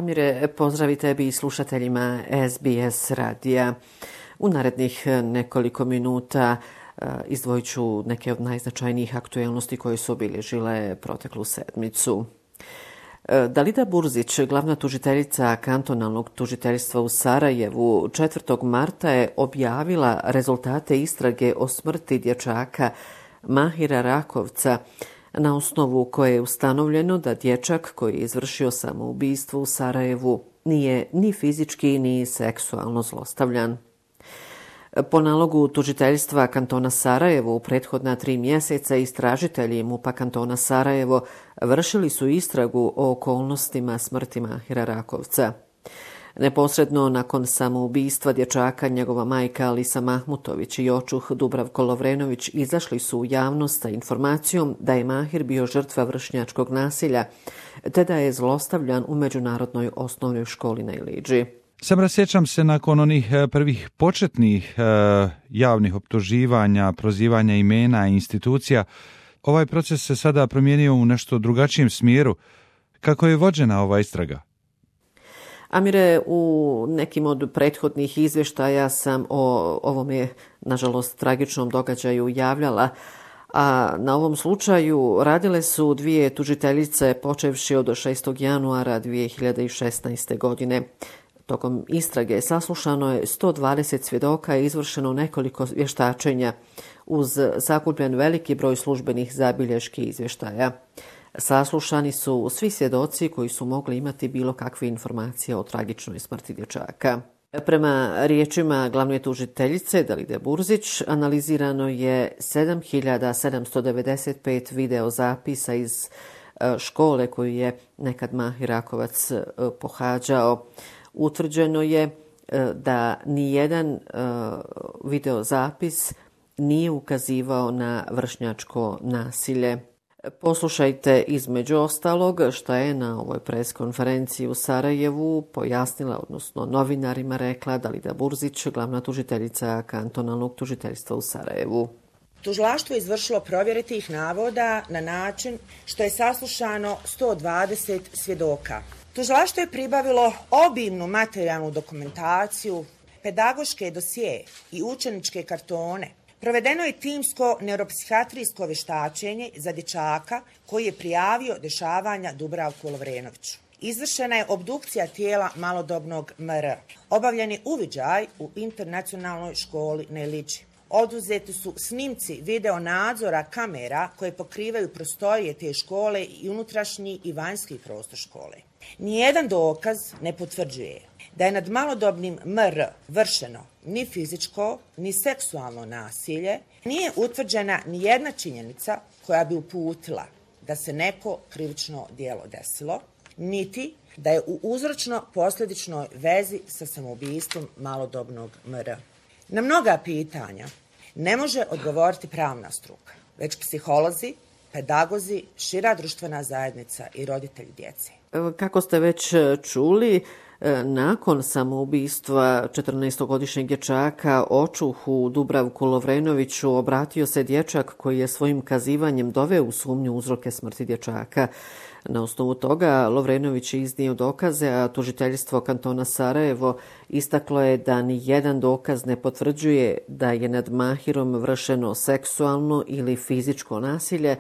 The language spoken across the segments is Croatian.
Amire, pozdravi tebi i slušateljima SBS radija. U narednih nekoliko minuta izdvojit ću neke od najznačajnijih aktuelnosti koje su obilježile proteklu sedmicu. Dalida Burzić, glavna tužiteljica kantonalnog tužiteljstva u Sarajevu, 4. marta je objavila rezultate istrage o smrti dječaka Mahira Rakovca, na osnovu koje je ustanovljeno da dječak koji je izvršio samoubistvo u Sarajevu nije ni fizički ni seksualno zlostavljan. Po nalogu tužiteljstva kantona Sarajevo u prethodna 3 mjeseca istražitelji MUP-a kantona Sarajevo vršili su istragu o okolnostima smrti Mahira Rakovca. Neposredno nakon samoubistva dječaka njegova majka Alisa Mahmutović i očuh Dubravko Lovrenović izašli su u javnost sa informacijom da je Mahir bio žrtva vršnjačkog nasilja te da je zlostavljan u međunarodnoj osnovnoj školi na Iliđi. Sam sjećam se nakon onih prvih početnih javnih optuživanja, prozivanja imena i institucija, ovaj proces se sada promijenio u nešto drugačijem smjeru. Kako je vođena ova istraga? Amire, u nekim od prethodnih izvještaja sam o ovome, nažalost, tragičnom događaju javljala, a na ovom slučaju radile su 2 tužiteljice počevši od 6. januara 2016. godine. Tokom istrage saslušano je 120 svjedoka i izvršeno nekoliko vještačenja uz sakupljen veliki broj službenih zabilješki izvještaja. Saslušani su svi svjedoci koji su mogli imati bilo kakve informacije o tragičnoj smrti dječaka. Prema riječima glavne tužiteljice Dalide Burzić, analizirano je 7795 video zapisa iz škole koju je nekad Mahir Rakovac pohađao. Utvrđeno je da nijedan video zapis nije ukazivao na vršnjačko nasilje. Poslušajte između ostalog šta je na ovoj pres konferenciji u Sarajevu pojasnila, odnosno novinarima rekla Dalida Burzić, glavna tužiteljica kantonalnog tužiteljstva u Sarajevu. Tužilaštvo je izvršilo provjere tih navoda na način što je saslušano 120 svjedoka. Tužilaštvo je pribavilo obimnu materijalnu dokumentaciju, pedagoške dosije i učeničke kartone. Provedeno je timsko neuropsihijatrijsko vještačenje za dječaka koji je prijavio dešavanja Dubravku Lovrenoviću. Izvršena je obdukcija tijela malodobnog MR. Obavljen je uviđaj u internacionalnoj školi na Iliđi. Oduzeti su snimci video nadzora kamera koje pokrivaju prostorije te škole i unutrašnji i vanjski prostor škole. Nijedan dokaz ne potvrđuje da je nad malodobnim MR vršeno ni fizičko, ni seksualno nasilje, nije utvrđena ni jedna činjenica koja bi uputila da se neko krivično djelo desilo, niti da je u uzročno-posljedičnoj vezi sa samoubistvom malodobnog MR. Na mnoga pitanja ne može odgovoriti pravna struka, već psiholozi, pedagozi, šira društvena zajednica i roditelji djece. Kako ste već čuli, nakon samoubistva 14-godišnjeg dječaka očuhu Dubravku Lovrenoviću obratio se dječak koji je svojim kazivanjem doveo u sumnju uzroke smrti dječaka. Na osnovu toga Lovrenović je iznio dokaze, a tužiteljstvo kantona Sarajevo istaklo je da ni jedan dokaz ne potvrđuje da je nad Mahirom vršeno seksualno ili fizičko nasilje,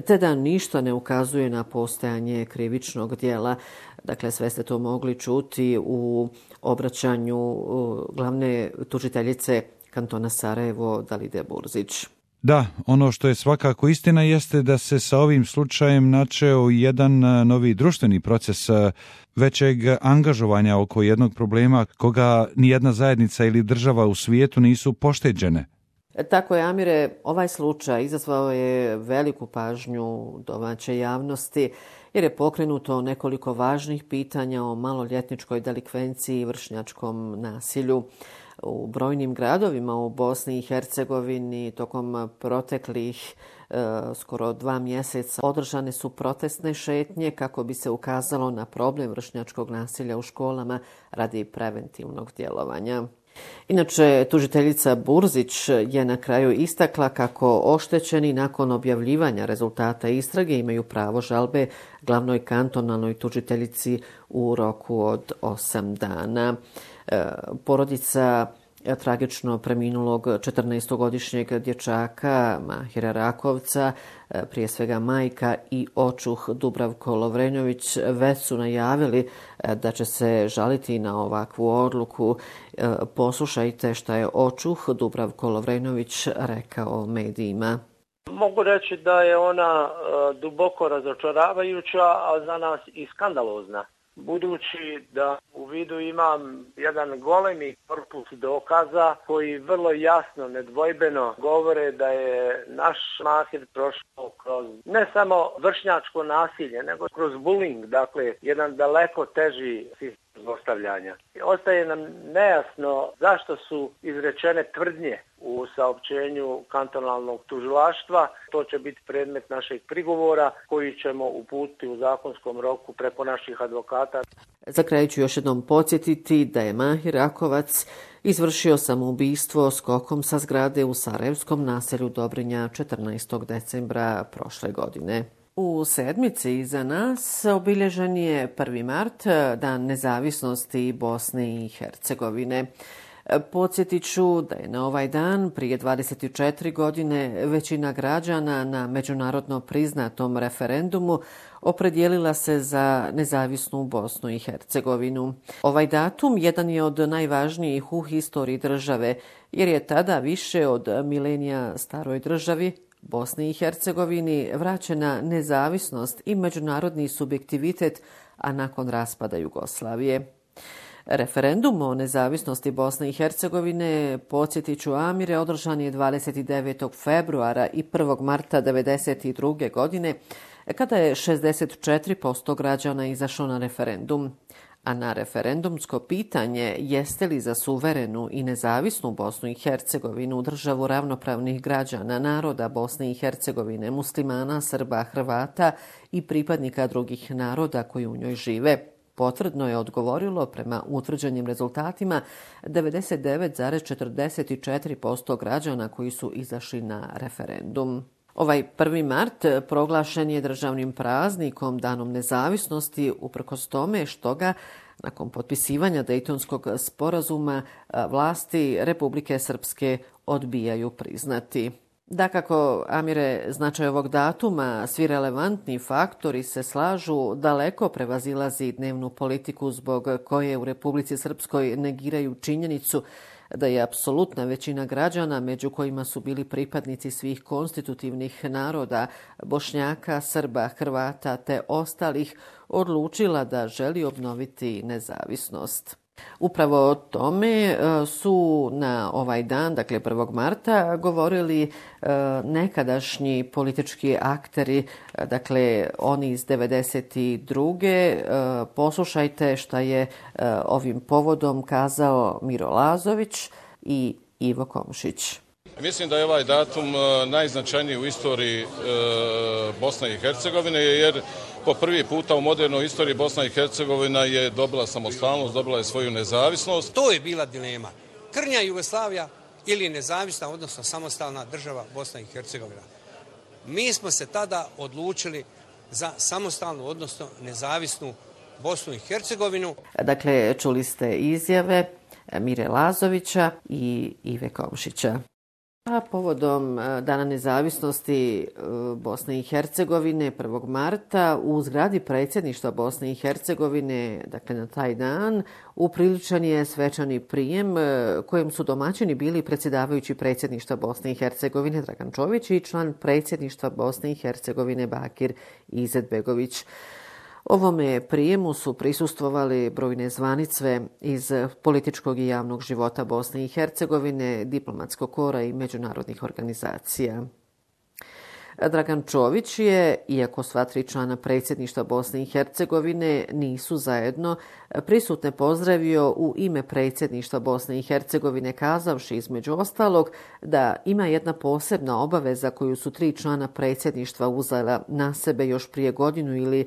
te da ništa ne ukazuje na postojanje krivičnog djela. Dakle, sve ste to mogli čuti u obraćanju glavne tužiteljice kantona Sarajevo Dalide Burzić. Da, ono što je svakako istina jeste da se sa ovim slučajem načeo jedan novi društveni proces većeg angažovanja oko jednog problema koga nijedna zajednica ili država u svijetu nisu pošteđene. Tako je, Amire, ovaj slučaj izazvao je veliku pažnju domaće javnosti jer je pokrenuto nekoliko važnih pitanja o maloljetničkoj delikvenciji i vršnjačkom nasilju. U brojnim gradovima u Bosni i Hercegovini tokom proteklih skoro 2 mjeseca održane su protestne šetnje kako bi se ukazalo na problem vršnjačkog nasilja u školama radi preventivnog djelovanja. Inače, tužiteljica Burzić je na kraju istakla kako oštećeni nakon objavljivanja rezultata istrage imaju pravo žalbe glavnoj kantonalnoj tužiteljici u roku od 8 dana. Porodica tragično preminulog 14-godišnjeg dječaka Mahira Rakovca, prije svega majka i očuh Dubravko Lovrenjović, već su najavili da će se žaliti na ovakvu odluku. Poslušajte šta je očuh Dubravko Lovrenjović rekao medijima. Mogu reći da je ona duboko razočaravajuća, a za nas i skandalozna. Budući da u vidu imam jedan golemi korpus dokaza koji vrlo jasno, nedvojbeno govore da je naš Mahir prošao kroz ne samo vršnjačko nasilje, nego kroz bullying, dakle jedan daleko teži sistem zlostavljanja. Ostaje nam nejasno zašto su izrečene tvrdnje u saopćenju kantonalnog tužilaštva. To će biti predmet našeg prigovora koji ćemo uputiti u zakonskom roku preko naših advokata. Za kraj ću još jednom podsjetiti da je Mahir Rakovac izvršio samoubistvo skokom sa zgrade u sarajevskom naselju Dobrinja 14. decembra prošle godine. U sedmici iza nas obilježen je 1. mart, Dan nezavisnosti Bosne i Hercegovine. Podsjetit ću da je na ovaj dan prije 24 godine većina građana na međunarodno priznatom referendumu opredijelila se za nezavisnu Bosnu i Hercegovinu. Ovaj datum jedan je od najvažnijih u historiji države, jer je tada više od milenija staroj državi Bosni i Hercegovini vraćena nezavisnost i međunarodni subjektivitet, a nakon raspada Jugoslavije. Referendum o nezavisnosti Bosne i Hercegovine, podsjetit ću Amire, održan je 29. februara i 1. marta 1992. godine, kada je 64% građana izašlo na referendum. A na referendumsko pitanje jeste li za suverenu i nezavisnu Bosnu i Hercegovinu, državu ravnopravnih građana, naroda Bosne i Hercegovine, muslimana, Srba, Hrvata i pripadnika drugih naroda koji u njoj žive, potvrdno je odgovorilo prema utvrđenim rezultatima 99,44% građana koji su izašli na referendum. Ovaj 1. mart proglašen je državnim praznikom, Danom nezavisnosti, uprkos tome što ga, nakon potpisivanja Dejtonskog sporazuma, vlasti Republike Srpske odbijaju priznati. Dakako, Amire, značaj ovog datuma, svi relevantni faktori se slažu, daleko prevazilazi dnevnu politiku zbog koje u Republici Srpskoj negiraju činjenicu da je apsolutna većina građana, među kojima su bili pripadnici svih konstitutivnih naroda, Bošnjaka, Srba, Hrvata te ostalih, odlučila da želi obnoviti nezavisnost. Upravo o tome su na ovaj dan, dakle 1. marta, govorili nekadašnji politički akteri, dakle oni iz 92. Poslušajte šta je ovim povodom kazao Miro Lazović i Ivo Komšić. Mislim da je ovaj datum najznačajniji u istoriji Bosne i Hercegovine, jer po prvi puta u modernoj istoriji Bosna i Hercegovina je dobila samostalnost, dobila je svoju nezavisnost. To je bila dilema. Krnja Jugoslavija ili nezavisna, odnosno samostalna država Bosna i Hercegovina. Mi smo se tada odlučili za samostalnu, odnosno nezavisnu Bosnu i Hercegovinu. Dakle, čuli ste izjave Mire Lazovića i Ive Komšića. A povodom Dana nezavisnosti Bosne i Hercegovine 1. marta u zgradi predsjedništva Bosne i Hercegovine, dakle na taj dan, upriličen je svečani prijem kojem su domaćini bili predsjedavajući predsjedništva Bosne i Hercegovine Dragan Čović i član predsjedništva Bosne i Hercegovine Bakir Izetbegović. Ovome prijemu su prisustvovali brojne zvanice iz političkog i javnog života Bosne i Hercegovine, diplomatskog kora i međunarodnih organizacija. Dragan Čović je, iako sva 3 člana predsjedništva Bosne i Hercegovine nisu zajedno, prisutne pozdravio u ime predsjedništva Bosne i Hercegovine, kazavši između ostalog da ima jedna posebna obaveza koju su 3 člana predsjedništva uzela na sebe još prije godinu ili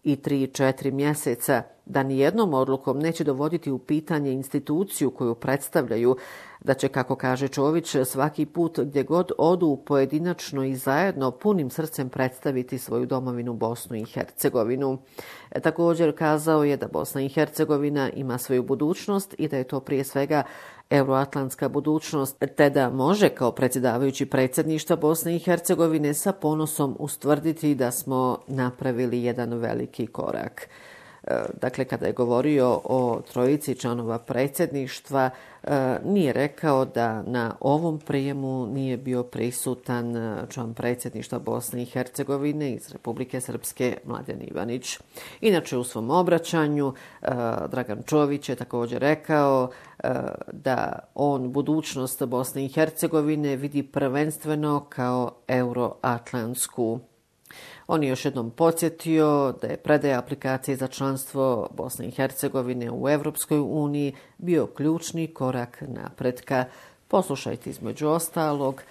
i 3-4 mjeseca, da nijednom odlukom neće dovoditi u pitanje instituciju koju predstavljaju, da će, kako kaže Čović, svaki put gdje god odu pojedinačno i zajedno punim srcem predstaviti svoju domovinu Bosnu i Hercegovinu. Također kazao je da Bosna i Hercegovina ima svoju budućnost i da je to prije svega euroatlantska budućnost, te da može kao predsjedavajući predsjedništva Bosne i Hercegovine sa ponosom ustvrditi da smo napravili jedan veliki korak. Dakle, kada je govorio o trojici članova predsjedništva, nije rekao da na ovom prijemu nije bio prisutan član predsjedništva Bosne i Hercegovine iz Republike Srpske Mladen Ivanić. Inače, u svom obraćanju Dragan Čović je također rekao da on budućnost Bosne i Hercegovine vidi prvenstveno kao euroatlantsku. On je još jednom podsjetio da je predaja aplikacije za članstvo Bosne i Hercegovine u Evropskoj uniji bio ključni korak napretka. Poslušajte između ostalog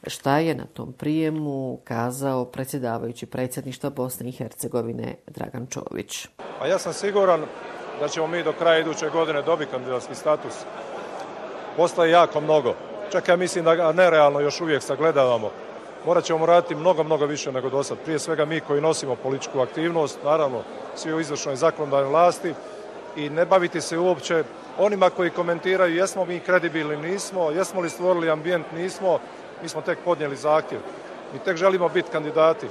šta je na tom prijemu kazao predsjedavajući predsjedništva Bosne i Hercegovine Dragan Čović. A ja sam siguran da ćemo mi do kraja iduće godine dobiti kandidatski status. Posla je jako mnogo. Čak ja mislim da ga nerealno još uvijek sagledavamo. Morat ćemo raditi mnogo više nego do sad. Prije svega mi koji nosimo političku aktivnost, naravno svi u izvršnoj i zakonodavnoj vlasti, i ne baviti se uopće onima koji komentiraju jesmo mi kredibilni, nismo, jesmo li stvorili ambijent, nismo, mi smo tek podnijeli zahtjev. Mi tek želimo biti kandidati.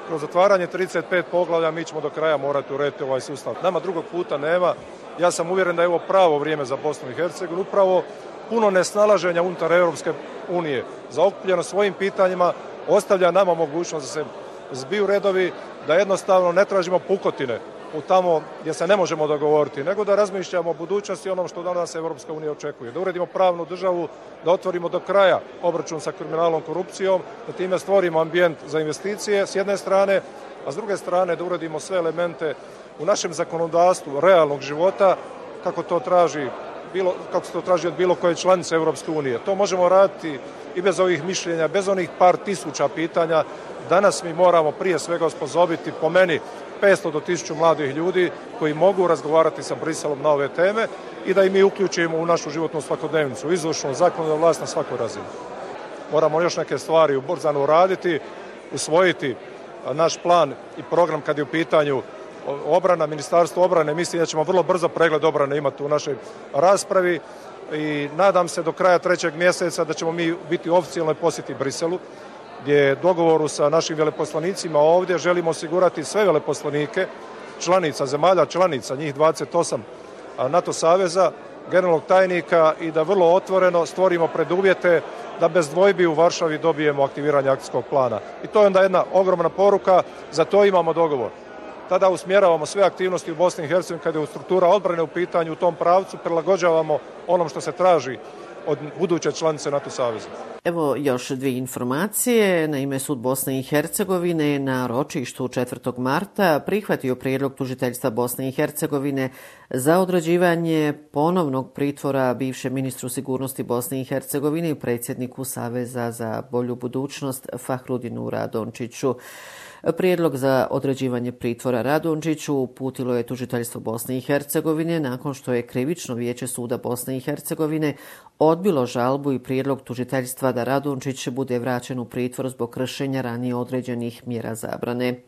Kroz zatvaranje 35 poglavlja mi ćemo do kraja morati urediti ovaj sustav. Nama drugog puta nema. Ja sam uvjeren da je ovo pravo vrijeme za Bosnu i Hercegovinu, upravo puno nesnalaženja unutar Europske unije, zaokupljeno svojim pitanjima, ostavlja nama mogućnost da se zbiju redovi, da jednostavno ne tražimo pukotine u tamo gdje se ne možemo dogovoriti, nego da razmišljamo o budućnosti i onom što danas Europska unija očekuje. Da uredimo pravnu državu, da otvorimo do kraja obračun sa kriminalom, korupcijom, da time stvorimo ambijent za investicije s jedne strane, a s druge strane da uredimo sve elemente u našem zakonodavstvu realnog života kako se to traži od bilo koje članice Europske unije. To možemo raditi i bez ovih mišljenja, bez onih par tisuća pitanja. Danas mi moramo prije svega osposobiti, po meni, 500 do 1000 mladih ljudi koji mogu razgovarati sa Briselom na ove teme i da i mi uključimo u našu životnu svakodnevnicu, izvršnu, zakonodavnu vlast na svakoj razini. Moramo još neke stvari ubrzano uraditi, usvojiti naš plan i program kad je u pitanju obrana, Ministarstvo obrane. Mislim da ćemo vrlo brzo pregled obrane imati u našoj raspravi i nadam se do kraja 3. mjeseca da ćemo mi biti u oficijalnoj posjeti Briselu, gdje dogovoru sa našim veleposlanicima ovdje želimo osigurati sve veleposlanike zemalja članica, njih 28 NATO saveza, generalnog tajnika, i da vrlo otvoreno stvorimo preduvjete da bez dvojbi u Varšavi dobijemo aktiviranje akcijskog plana. I to je onda jedna ogromna poruka, za to imamo dogovor. Tada usmjeravamo sve aktivnosti u Bosni i Hercegovini kada je struktura odbrane u pitanju, u tom pravcu prilagođavamo onom što se traži od buduće članice NATO saveza. Evo još dvije informacije. Naime, Sud Bosne i Hercegovine na ročištu 4. marta prihvatio prijedlog tužiteljstva Bosne i Hercegovine za određivanje ponovnog pritvora bivšem ministru sigurnosti Bosne i Hercegovine i predsjedniku Saveza za bolju budućnost Fahrudinu Radončiću. Prijedlog za određivanje pritvora Radončiću uputilo je tužiteljstvo Bosne i Hercegovine nakon što je Krivično vijeće Suda Bosne i Hercegovine odbilo žalbu i prijedlog tužiteljstva da Radončić bude vraćen u pritvor zbog kršenja ranije određenih mjera zabrane.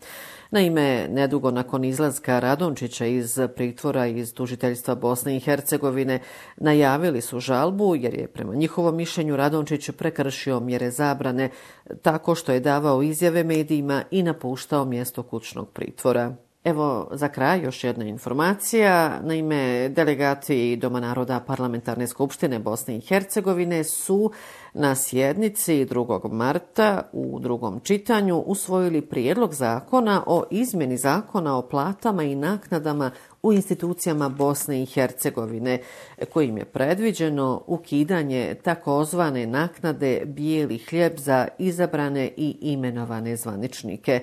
Naime, nedugo nakon izlaska Radončića iz pritvora iz tužiteljstva Bosne i Hercegovine najavili su žalbu jer je prema njihovom mišljenju Radončić prekršio mjere zabrane tako što je davao izjave medijima i napuštao mjesto kućnog pritvora. Evo, za kraj još jedna informacija. Naime, delegati Doma naroda Parlamentarne skupštine Bosne i Hercegovine su na sjednici 2. marta u drugom čitanju usvojili prijedlog zakona o izmjeni zakona o platama i naknadama u institucijama Bosne i Hercegovine, kojim je predviđeno ukidanje takozvane naknade bijeli hljeb za izabrane i imenovane zvaničnike.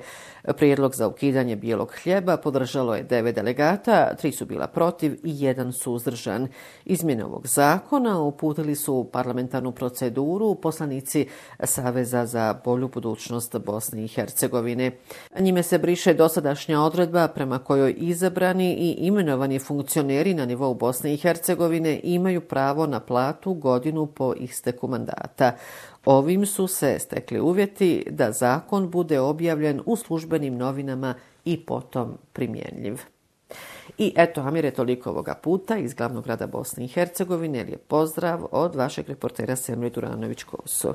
Prijedlog za ukidanje bijelog hljeba podržalo je 9 delegata, 3 su bila protiv i 1 suzdržan. Izmjene ovog zakona uputili su u parlamentarnu proceduru poslanici Saveza za bolju budućnost Bosne i Hercegovine. Njime se briše dosadašnja odredba prema kojoj izabrani i imenovani funkcioneri na nivou Bosne i Hercegovine imaju pravo na platu godinu po isteku mandata. Ovim su se stekli uvjeti da zakon bude objavljen u službenim novinama i potom primjenjiv. I eto, Amire, toliko ovoga puta iz glavnog grada Bosne i Hercegovine. Lijep pozdrav od vašeg reportera Semre Duranović-Koso.